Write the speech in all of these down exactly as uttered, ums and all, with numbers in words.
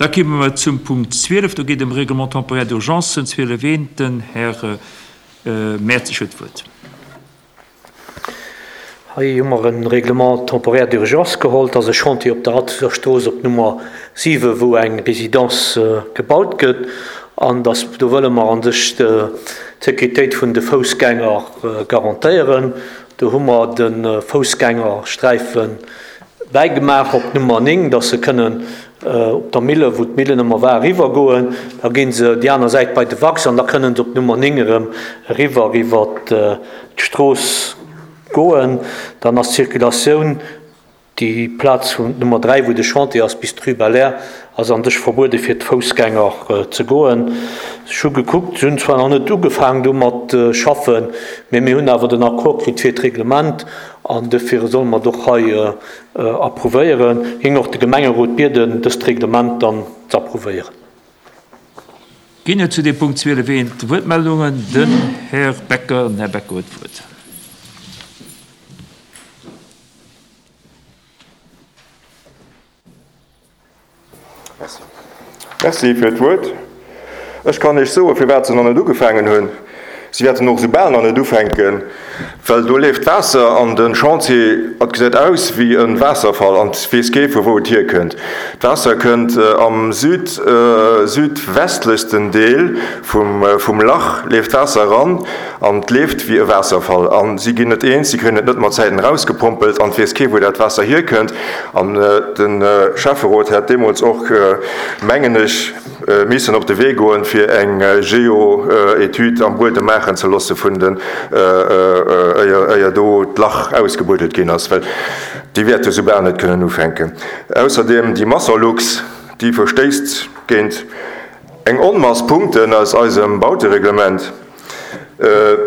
Da komme mer zum Punkt zwielef. Do geet ëm Règlement temporaire d'urgence zwielef eent. Den Här Mertzig huet d'Wuert. Hei hu mer e Règlement temporaire d'urgence geholl. Dat ass e Chantier op der Atzeger Strooss op Nummer siwe wou eng Résidence gebaut gëtt. An dass, do wëlle mer an sech d'Sécuritéit vun de Foussgänger garantéieren. Do hu mer de Foussgängersträife bäigemaach op Nummer néng, dass se kënnen op der Mille, wou d'Millen ëmmer war, eriwwergoen. Da gi se déi aner Säit bei de Wachs an da kënnen se op Nummer néng erëm eriwwer iwwer d'Strooss goen. Dann ass d'Circulatioun, déi Plaz vun Nummer dräi, wou de Chantier ass, bis d'Rue Belair, ass an sech verbuede fir d'Foussgänger ze goen. Ech hu gekuckt, se hunn zwar nach net ugefaangen domat schaffen, mee mir hunn awer den Accord kritt fir d'Reglement an dofir solle mer et och hei approuvéieren. Géing och de Gemengerot bieden, dëst Reglement dann ze approuvéieren. Ginn et zu deem Punkt zwielef eent Wuertmeldungen? Den Här Becker. Den Här Becker huet d'Wuert. Merci fir d'Wuert. Ech kann Iech soen, firwat se nach net ugefaangen hunn. Si wäerten och esou bal nach net ufänken, well do leeft Waasser an de Chantier. Et gesäit aus wéi e Waasserfall an et weess kee vu wou et hierkënnt. D'Waasser kënnt am süd, südwestlechsten Deel vum Lach leeft d'Waasser eran an et leeft wéi e Waasserfall. A si ginn net eens, si kréien et net mat Zäiten erausgepompelt an et weess kee wou dat Waasser hierkënnt. An de Schäfferot hätt deemools och, mengen ech, missen op de Wee goen, fir eng Geo-Etüd am Buedem maachen ze loosse vun den, éier do d'Lach ausgebuddelt ginn ass, well déi wäerte soubal net kënnen ufänken. Ausserdeem déi Masserlux, déi verstéisst géint eng Onmass Punkten aus eisem Bautereglement.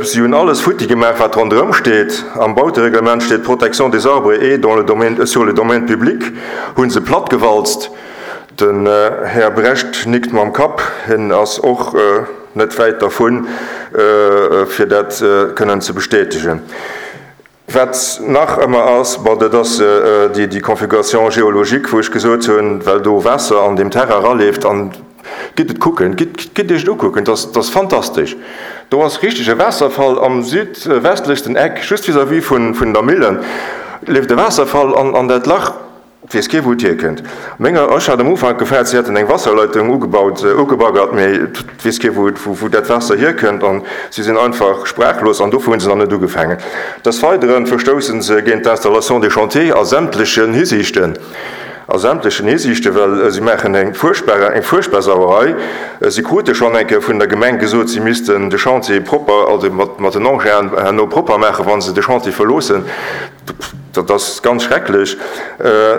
Si hunn alles futti gemaach, wat ronderëm steet. Am Bautereglement steet Protection des arbres et dans le domaine, sur le domaine public, hu se plattgewalzt. Den Här Brecht nickt mam Kapp. Hien ass och net wäit dervun, fir dat kënnen ze bestätegen. Wat nach ëmmer ass, bon, dat ass déi Configuration géologique, wou ech gesot hunn, well do Waasser an deem Terrain eraleeft. An gitt et kucken, gitt, gitt Iech et ukucken, dat ass fantastesch. Do ass richteg e Waasserfall am südwestlechsten Eck, just vis-à-vis vun der Millen, leeft e Waasserfall an dat Lach. Et weess kee wou et hierkënnt. Menger, ech hat am Ufank gefaart, si hätten eng Wasserleitung ugebaut, ugebaggert, mee et weess kee wou, wou dat Waasser hierkënnt an si sinn einfach sprachlos an dofir hu se nach net ugefaangen. Des Weidere verstousse se géint d'Installation des chantiers a sämtlechen Hisiichten, a sämtlechen Hisiichten, well si maachen eng fuerchtbar, eng fuerchtbar Sauerei. Si krute schonn eng Kéier vun der Gemeng gesot, si missten de Chantier propper, also mat, mat den Enginen herno propper maachen, wa se de Chantier verloossen. Dat ass ganz schrecklech.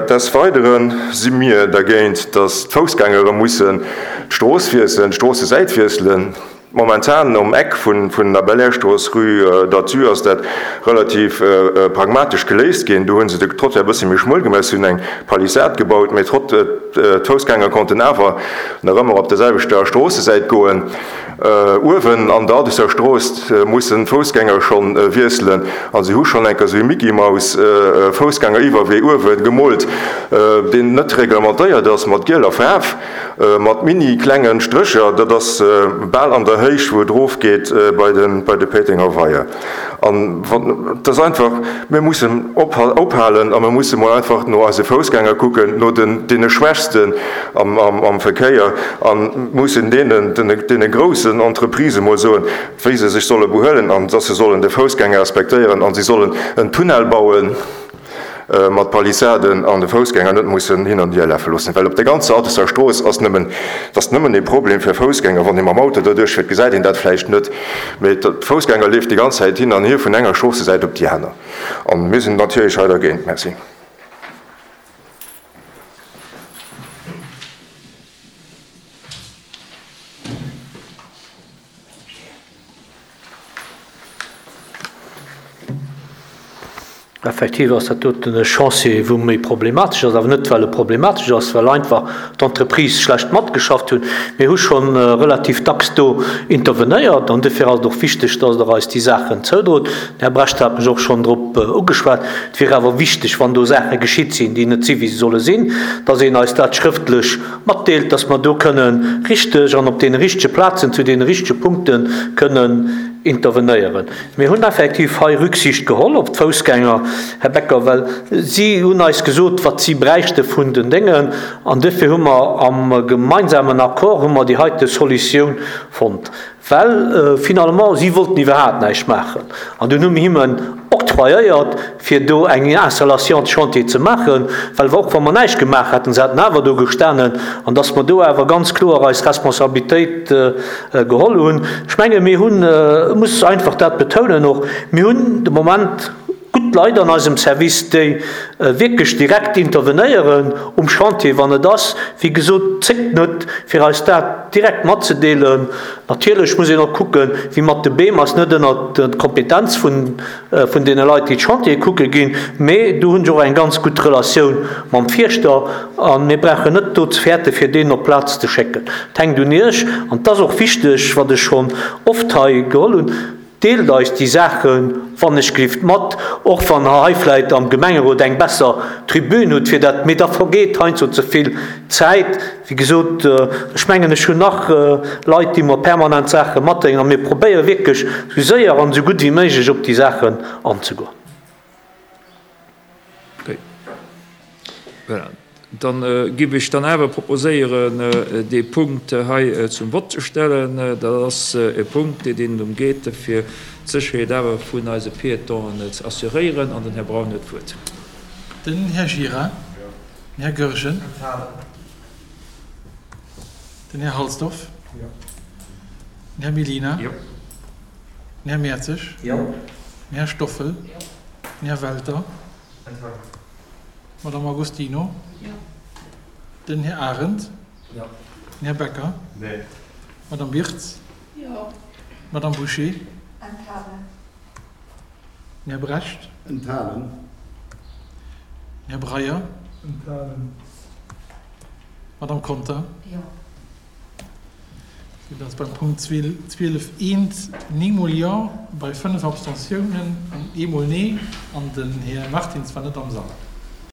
Des Weidere si mir dergéint, dass d'Foussgängere mussen d'Strooss wiesselen, d'Stroossesäit wiesselen. Momentan um Eck vun der Belair-Strooss, Rue d'Athus, ass dat relativ pragmatesch geléist ginn. Do hu se de Trottoir e bësse méi schmuel gemaach, si hunn eng Palissade gebaut, mee d'Foussgänger konnten awer nach ëmmer op der selwechter Stroossesäit goen. Uewen an der Addisser Strooss mussen d'Foussgänger schonn wiesselen a si hu schonn eng Kéier esou e Mickey-Maus Foussgängeriwwerwee uewe gemoolt, deen net reglementéiert ass, mat gieler Faarf, mat mini klengen Strécher. Dat ass bal an der Héicht, wou et erofgeet bei de Péitenger Weier. An et ass einfach, mir mussen ophalen a mir musse mol einfach no eise Foussgänger kucken, no deene Schwächsten am Verkéier a mussen deenen, deene groussen Entreprisë mol soen, wéi se sech solle behuelen an dass se sollen de Foussgänger respektéieren a si sollen en Tunnel bauen mat Palissaden an de Foussgänger net mussen hin an hier lafe loossen. Well op der ganzer Addisser Strooss ass nëmmen, et ass nëmmen e Problem fir Foussgänger. Wann ee mam Auto doduerch fiert, gesäit een dat vläicht net, mee de Foussgänger leeft déi ganz Zäit hin an hier vun enger Stroossesäit op déi aner. A mir sinn natierlech hei dergéint. Merci. Effektiv ass dat doten e Chantier, wou méi problematesch ass, awer net well e problematesch ass, well einfach d'Entreprise schlecht matgeschafft hunn. Mir hu scho relativ dacks do intervenéiert an duerfir ass et och wichteg, dass Der eis déi Saachen zoudrot. Den Här Brecht hat mech och schonn drop ugeschwat. Et wier awer wichteg, wann do Saache geschitt sinn, déi net si wéi se solle sinn, dass een eis dat schrëftlech matdeelt, dass mer do kënnen richteg an op deene richtege Plazen zu deene richtege Punkte kënnen intervenéieren. Mir hunn effektiv hei Rücksicht geholl op d'Foussgänger, Här Becker, well si hunn eis gesot, wat si bräichte vun den Déngen, an duerfir hu mer am gemeinsamen Accord hu mer déi heite Solutioun fonnt, well finalement si wollten iwwerhaapt näischt maachen. An dunn hu mir hinnen octroyéiert, fir do eng Installation de chantier ze maachen, well och wa mer näischt gemaach hätten, se hätten awer do gestanen, an dass mer do awer ganz kloer eis Responsabilitéit geholl hunn. Ech menge mir hunn, ech muss einfach dat betounen och, mir hunn de Moment gutt Leit an eisem Service, déi wierklech direkt intervenéieren um Chantier, wann et ass. Wéi gesot, zéckt net, fir eis dat direkt matzedeelen. Natierlech muss een och kucken, wéi mat de Beem ass net ënnert d'Kompetenz vun deene Leit, déi d'Chantiere kucke ginn, mee do hunn ech och eng ganz gutt Relatioun mam Fierschter a mir brauchen net do ze fäerten, fir deen op d'Plaz ze schécken. Et hänkt un Iech an et ass och wichteg, wat ech schonn oft hei geholl hunn, Deelt eis déi Saachen wannechgelift mat, och wann Der hei vläit am Gemengerot eng besser Tribün hutt fir dat, mee da vergeet heiansdo ze vill Zäit. Wéi gesot, ech mengen, ech hunn nach Leit, déi mer permanent Saache matdeelen, a mir probéiere wierklech esou séier an esou gutt wéi méiglech op déi Saachen anzegoen. Voilà, dann giff ech dann awer proposéieren, dee Punkt hei zum Vott ze stellen. Dat ass e Punkt, deen drëm geet, fir d'Sécherheet awer vun eise Piétonen ze assuréieren. An den Här Braun huet d'Wuert. Den Här Gira. Den Här Goergen. Den Här Halsdorf. Den Här Mellina. Den Här Mertzig. Den Här Stoffel. Den Här Welter. D'Madame Agostino. Den Här Arendt. Den Här Becker. D'Madame Birtz. D'Madame Bouché. Den Här Brecht. Den Här Breyer. D'Madame Conter. Sou dass beim Punkt zwielef eent néng mol Jo, bei fënnef Abstentiounen an eemol Nee, an den Här Martins war net am Sall.